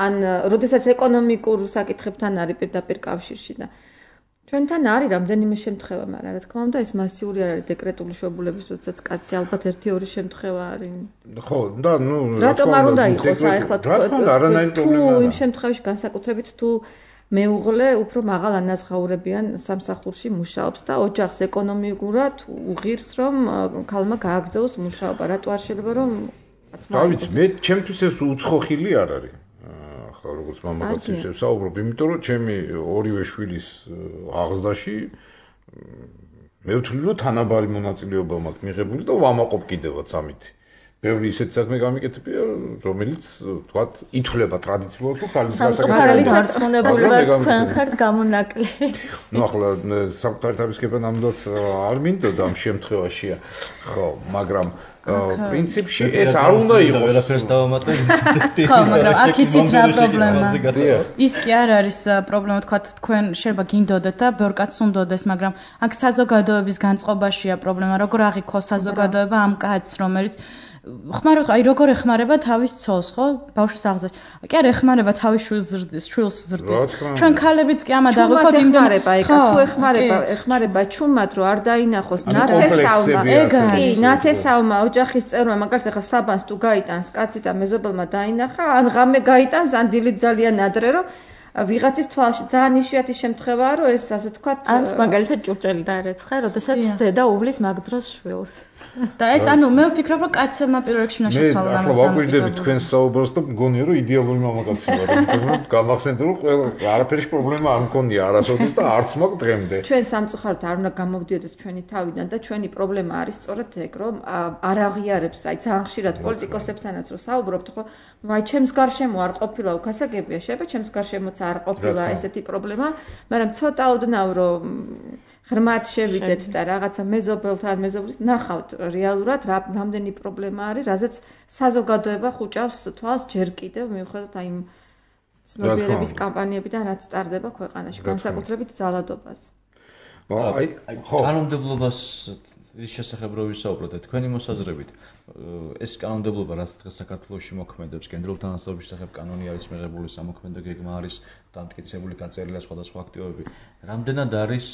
ან როდესაც ეკონომიკურ საკითხებთან არის პირდაპირ კავშირში და ჩვენთან არის რამდენიმე შემთხვევა, მაგრამ რა თქმა უნდა ეს მასიური არ არის დეკრეტული შვებულების, როდესაც კაცი ალბათ 1-2 შემთხვევა არის. ხო, და ნუ რატომ არ უნდა იყოს აი ახლა თუ იმ შემთხვევაში განსაკუთრებით თუ მეუღლე უფრო მაღალ ანაზღაურებიან სამსახურში მუშაობს და ოჯახს ეკონომიკურად უღირს რომ ქალმა გააგრძელოს მუშაობა. რატო არ შეიძლება რომ კაცმა დავიცი, მე ჩემთვის ეს უცხოხილი არ არის. ახლა როგორც მამაკაცებს ვსაუბრობ, იმიტომ რომ ჩემი ორივე შვილის აღზრდაში მე ვთვლი რომ თანაბარი მონაწილეობა მაქვს მიღებული და ვამაყობ კიდევაც ამით. ბევრი ისეთ საქმე გამიკეთებია, რომელიც თქვათ ითვლება ტრადიციულად თუ ხალხის საკუთარი დარწმუნებული ვარ თქვენ ხართ გამონაკლი. ნუ ახლა საკუთარი თავისკება ნამდვილად არ მინდოდა ამ შემთხვევაში, ხო, მაგრამ პრინციპში ეს არ უნდა იყოს. ვერაფერს დავამატებ. ხო, მაგრამ აქ იცით რა პრობლემა. ის კი არ არის პრობლემა, თქვათ თქვენ შეიძლება გინდოდეთ და ბევრ კაცს უნდოდეს, მაგრამ აქ საზოგადოების განწყობაშია პრობლემა, როგორ აღიქოს საზოგადოება ამ კაცს, რომელიც ხმარობთ, აი როგორ ეხმარება თავის ცოლს, ხო? ბავშვის აღზრდაში. კი არ ეხმარება თავის შვილს ზრდის. ჩვენ ქალებიც კი ამად აღვიქოთ იმდენ თუ ეხმარება ჩუმად რომ არ დაინახოს ნათესავმა. კი, ნათესავმა ოჯახის წევრმა, მაგალითად ახლა საბანს თუ გაიტანს კაცი და მეზობელმა დაინახა, ან ღამე გაიტანს, ან დილით ძალიან ადრე რომ ვიღაცის თვალში ძალიან იშვიათი შემთხვევაა რომ ეს ასე თქვათ ან მაგალითად ჭურჭელი დაარეცხა, როდესაც დედა უვლის მაგ დროს შვილს. და ეს ანუ მე ვფიქრობ რომ კაცებმა პირველ რიგში უნდა შეცვალონ ამას. მე ახლა ვაკვირდები თქვენს საუბრს და მგონია რომ იდეალური მამაკაცი ვარ, იმიტომ რომ გამახსენეთ რომ არაფერში პრობლემა არ მქონია არასოდეს და არც მაგ დღემდე. ჩვენ სამწუხაროდ არ უნდა გამოვდიოდეთ ჩვენი თავიდან და ჩვენი პრობლემა არის სწორედ ეგ რომ არ აღიარებს აი ძალიან ხშირად პოლიტიკოსებთანაც რომ საუბრობთ ხო აი ჩემს გარშემო არ ყოფილა უკასაგებია შეიძლება ჩემს გარშემოც არ ყოფილა ესეთი პრობლემა მაგრამ ცოტა ოდნავ რომ ღრმად შევიდეთ და რაღაცა მეზობელთან მეზობლის ნახავთ რეალურად რამდენი პრობლემა არის რაზეც საზოგადოება ხუჭავს თვალს ჯერ კიდევ მიუხედავად აი იმ ცნობიერების კამპანიებიდან რაც სტარდება ქვეყანაში განსაკუთრებით ძალადობას აი კანონმდებლობას ის შესახებ რო ვისაუბროთ და თქვენი მოსაზრებით ეს კანონმდებლობა რაც დღეს საქართველოში მოქმედებს გენდერული თანასწორობის შესახებ კანონი არის მიღებული სამოქმედო გეგმა არის დამტკიცებული გაწერილია სხვადასხვა აქტივობები რამდენად არის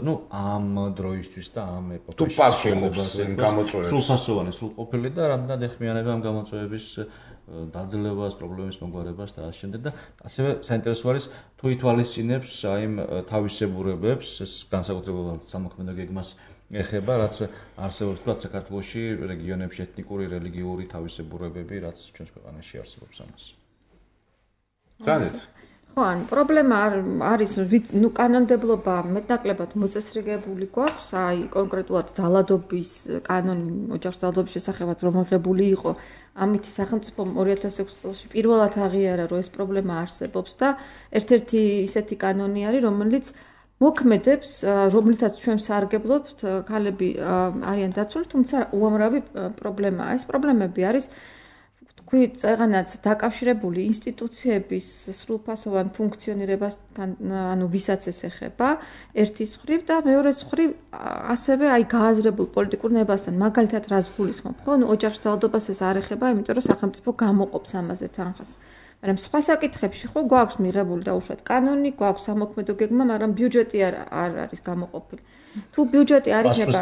ნუ ამ დროისთვის და ამ ეპოქაში შეიძლება გამოწვევს სრულფასოვანი სრულყოფილი და რამდენად ეხმიანება ამ გამოწვევების დაძლევას პრობლემის მოგვარებას და ასე შემდეგ და ასევე საინტერესო არის თუ ითვალისწინებს აი იმ თავისებურებებს ეს განსაკუთრებულად სამოქმედო გეგმას ეხება რაც არსებობს თქვა საქართველოში რეგიონებში ეთნიკური რელიგიური თავისებურებები რაც ჩვენს ქვეყანაში არსებობს ამას. განეთ ხო, ან პრობლემა არის ნუ კანონმდებლობა მეტნაკლებად მოწესრიგებული გვაქვს, აი კონკრეტულად ძალადობის კანონი ოჯახის ძალადობის შესახებაც რომ აღებული იყო, ამით სახელმწიფომ 2006 წელს პირველად აღიარა რომ ეს პრობლემა არსებობს და ერთ-ერთი ისეთი კანონი არის რომელიც მოქმედებს, რომლითაც ჩვენ სარგებლობთ, ქალები არიან დაცული, თუმცა უამრავი პრობლემაა. ეს პრობლემები არის თქვით, წეღანაც დაკავშირებული ინსტიტუციების სრულფასოვან ფუნქციონირებასთან, ანუ ვისაც ეს ეხება, ერთის მხრივ და მეორეს მხრივ ასევე აი გააზრებულ პოლიტიკურ ნებასთან, მაგალითად რას გულისხმობ, ხო? ნუ ოჯახის ძალადობას ეს არ ეხება, იმიტომ რომ სახელმწიფო გამოყოფს ამაზე თანხას. მაგრამ სხვა საკითხებში ხო გვაქვს მიღებული დაუშვათ კანონი, გვაქვს სამოქმედო გეგმა, მაგრამ ბიუჯეტი არ არის გამოყოფილი. თუ ბიუჯეტი არ იქნება,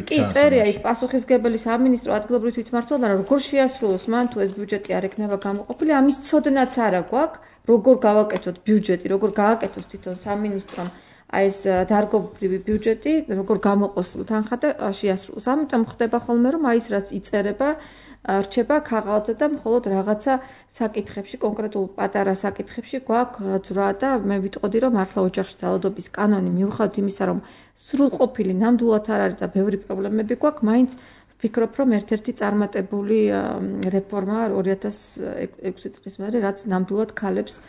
კი, წერია იქ პასუხისგებელი სამინისტრო ადგილობრივი თვითმმართველობა, მაგრამ როგორ შეასრულოს მან თუ ეს ბიუჯეტი არ ექნება გამოყოფილი, ამის ცოდნაც არა გვაქვს, როგორ გავაკეთოთ ბიუჯეტი, როგორ გააკეთოს თვითონ სამინისტრომ აი ეს დარგობრივი ბიუჯეტი, როგორ გამოყოს თანხა და შეასრულოს. ამიტომ ხდება ხოლმე რომ აი ეს რაც იწერება რჩება ქაღალდზე და მხოლოდ რაღაცა საკითხებში, კონკრეტულ პატარა საკითხებში გვაქვს ძრა და მე ვიტყოდი, რომ მართლა ოჯახში ძალადობის კანონი მიუხედავად იმისა, რომ სრულყოფილი ნამდვილად არ არის და ბევრი პრობლემები გვაქვს, მაინც ვფიქრობ, რომ ერთ-ერთი წარმატებული რეფორმა 2006 წლის მერე, რაც ნამდვილად ქალებზე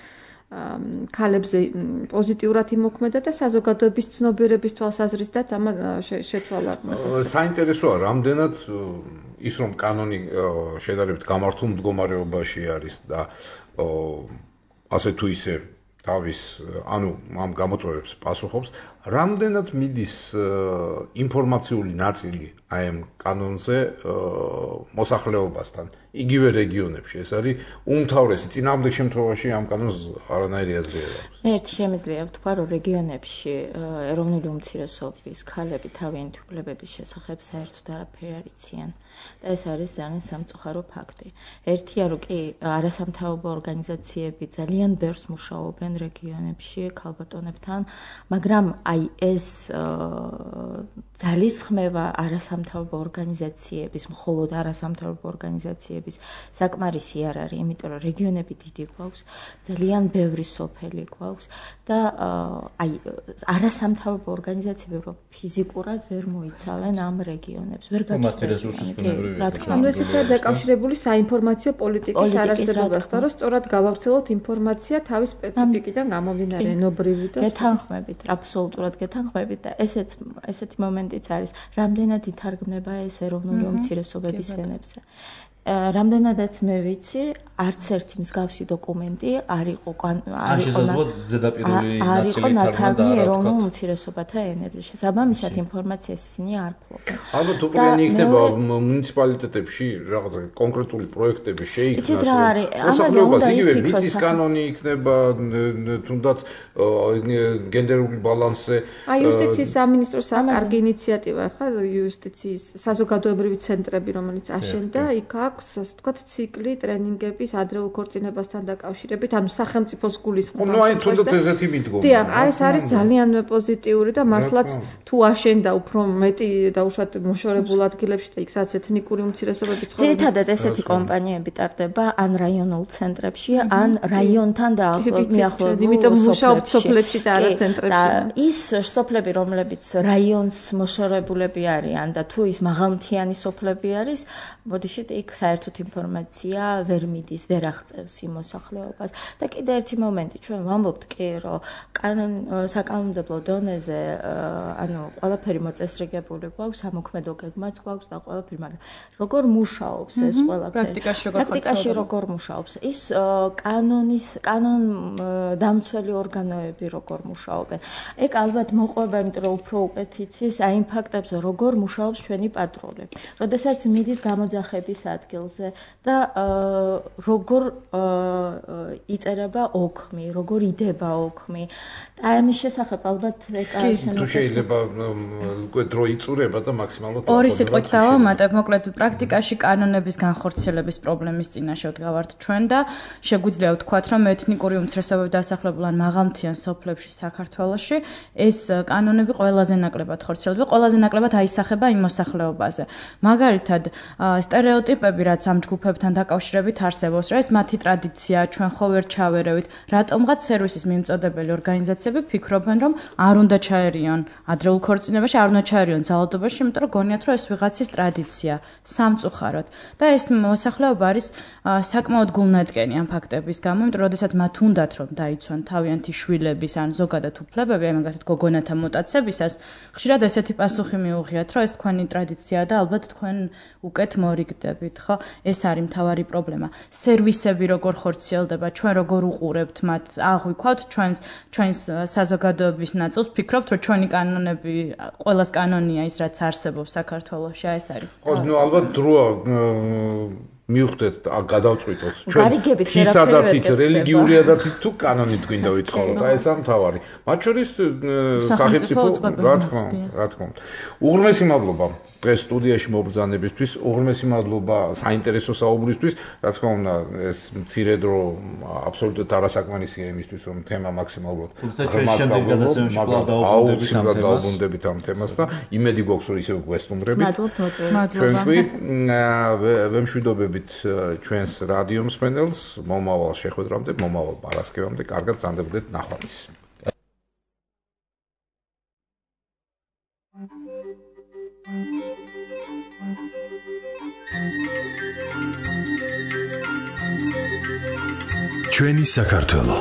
პოზიტიურად იმოქმედა და საზოგადოების ცნობიერების თვალსაზრისითაც ამა შეცვალა. საინტერესოა, რამდენად ის რომ კანონი შედარებით გამართულ მდგომარეობაში არის და ასე თუ ისე თავის ანუ ამ გამოწვევებს პასუხობს, რამდენად მიდის ინფორმაციული ნაწილი აი ამ კანონზე მოსახლეობასთან იგივე რეგიონებში ეს არის უმთავრესი წინააღმდეგ შემთხვევაში ამ კანონს არანაირი აზრი არ აქვს. ერთი შემიძლია ვთქვა რომ რეგიონებში ეროვნული უმცირესობის ქალები თავიანთი უფლებების შესახებ საერთოდ არაფერი არ იციან და ეს არის ძალიან სამწუხარო ფაქტი. ერთია რომ კი არასამთავრობო ორგანიზაციები ძალიან ბევრს მუშაობენ რეგიონებში ქალბატონებთან, მაგრამ აი ეს ძალისხმევა არასამთავრობო ორგანიზაციების, მხოლოდ არასამთავრობო ორგანიზაციების საკმარისი არ არის, იმიტომ რომ რეგიონები დიდი გვაქვს, ძალიან ბევრი სოფელი გვაქვს და აი არასამთავრობო ორგანიზაციები რო ფიზიკურად ვერ მოიცავენ ამ რეგიონებს, ვერ გაწყვეტენ. ანუ ესეც არის დაკავშირებული საინფორმაციო პოლიტიკის არარსებობასთან, რომ სწორად გავავრცელოთ ინფორმაცია თავის სპეციფიკიდან გამომდინარე, ენობრივი და გეთანხმებით, აბსოლუტურად გეთანხმებით და ესეთი მომენტიც არის, რამდენად ითარგმნება ეს ეროვნული უმცირესობების ენებზე. რამდენადაც მე ვიცი, არც ერთი მსგავსი დოკუმენტი არ იყო ნათარგმნი ეროვნულ უმცირესობათა ენებზე. შესაბამისად ინფორმაციას ისინი არ ფლობენ. ალბათ უპირატესად იქნება მუნიციპალიტეტებში რაღაცა კონკრეტული პროექტები შეიქმნას. იცით რა არის? მოსახლეობას იგივე მიწის კანონი იქნება, თუნდაც გენდერული ბალანსზე. აი იუსტიციის სამინისტროს კარგი ინიციატივა ხა იუსტიციის საზოგადოებრივი ცენტრები, რომელიც აშენდა, იქ აქვს ასე ვთქვათ ციკლი ტრენინგების ადრეულ ქორწინებასთან დაკავშირებით, ანუ სახელმწიფოს გულისხმობს. ნუ აი თუნდაც ესეთი მიდგომა. დიახ, აი ეს არის ძალიან პოზიტიური და მართლაც თუ აშენდა უფრო მეტი დაუშვათ მოშორებულ ადგილებში და იქ სადაც ეთნიკური უმცირესობები ცხოვრობს. ძირითადად ესეთი კომპანიები ტარდება ან რაიონულ ცენტრებში, ან რაიონთან დაახლოებულ. იმიტომ მუშაობთ სოფლებში და არა ცენტრებში. და ის სოფლები, რომლებიც რაიონს მოშორებულები არიან და თუ ის მაღალმთიანი სოფლები არის, მოდიშით იქ საერთოდ ინფორმაცია ვერ მიდის, ვერ აღწევს იმ მოსახლეობას. და კიდე ერთი მომენტი, ჩვენ ვამბობთ კი, რომ საკანონმდებლო დონეზე, ანუ ყველაფერი მოწესრიგებული გვაქვს, სამოქმედო გეგმაც გვაქვს და ყველაფერი, მაგრამ როგორ მუშაობს ეს ყველაფერი? პრაქტიკაში როგორ მუშაობს? ის კანონდამცველი ორგანოები როგორ მუშაობენ? ეგ ალბათ მოყვება, იმიტომ რომ უფრო უკეთ იცის აი იმ ფაქტებზე, როგორ მუშაობს ჩვენი პატრული. როდესაც მიდის გამოძახების ადგილზე და როგორ იწერება ოქმი, როგორ იდება ოქმი. და ამის შესახებ ალბათ თუ შეიძლება უკვე დრო იწურება და მაქსიმალურად ორი სიტყვით დავამატებ, მოკლედ პრაქტიკაში კანონების განხორციელების პრობლემის წინაშე ვდგავართ ჩვენ და შეგვიძლია ვთქვათ, რომ ეთნიკური უმცირესობები დასახლებულ ან მაღალმთიან სოფლებში საქართველოში ეს კანონები ყველაზე ნაკლებად ხორციელდება, ყველაზე ნაკლებად აისახება იმ მოსახლეობაზე. მაგალითად, სტერეოტიპები, რაც ამ ჯგუფებთან დაკავშირებით არსებობს, რა ეს მათი ტრადიცია, ჩვენ ხო ვერ ჩავერევით, რატომღაც სერვისის მიმწოდებელი ორგანიზაციები ფიქრობენ, რომ არ უნდა ჩაერიონ ადრეულ ქორწინებაში, არ უნდა ჩაერიონ ძალადობაში, იმიტომ რომ გონიათ, რომ ეს ვიღაცის ტრადიცია, სამწუხაროდ. და ეს მოსახლეობა არის საკმაოდ გულნათკენი ამ ფაქტების გამო, იმიტომ რომ შესაძაც მათ უნდათ რომ დაიცვან თავიანთი შვილების ან ზოგადად უფლებები, აი მაგალითად გოგონათა მოტაცებისას, ხშირად ესეთი პასუხი მიუღიათ, რომ ეს თქვენი ტრადიციაა და ალბათ თქვენ უკეთ მორიგდებით, ხო? ეს არის მთავარი პრობლემა. სერვისები როგორ ხორციელდება, ჩვენ როგორ უყურებთ მათ, აღვიქვათ ჩვენს საზოგადოების ნაწილს, ფიქრობთ, რომ ჩვენი კანონები, ყველას კანონია ის, რაც არსებობს საქართველოში, ეს არის. ხო, ნუ ალბათ დროა მივხვდეთ, გადავწყვიტოთ ჩვენ თისადაცით, რელიგიურიადაცით თუ კანონით გვინდა ვიცხოვროთ, აი ეს ამთავარი. მათ შორის სახელმწიფო, რა თქმა უნდა. უღრმესი მადლობა დღეს სტუდიაში მობრძანებისთვის, უღრმესი მადლობა საინტერესო საუბრისთვის, რა თქმა უნდა, ეს მცირე დრო აბსოლუტურად არასაკმარისია იმისთვის, რომ თემა მაქსიმალურად აუცილებლად დაუბრუნდებით ამ თემას და იმედი გვაქვს, რომ ისევ გვესტუმრებით. ჩვენ კი ვემშვიდობებით ჩვენს რადიო მსმენელს მომავალ შეხვედრამდე, მომავალ პარასკევამდე, კარგად ბრძანდებოდეთ ნახვამდის. ჩვენი საქართველო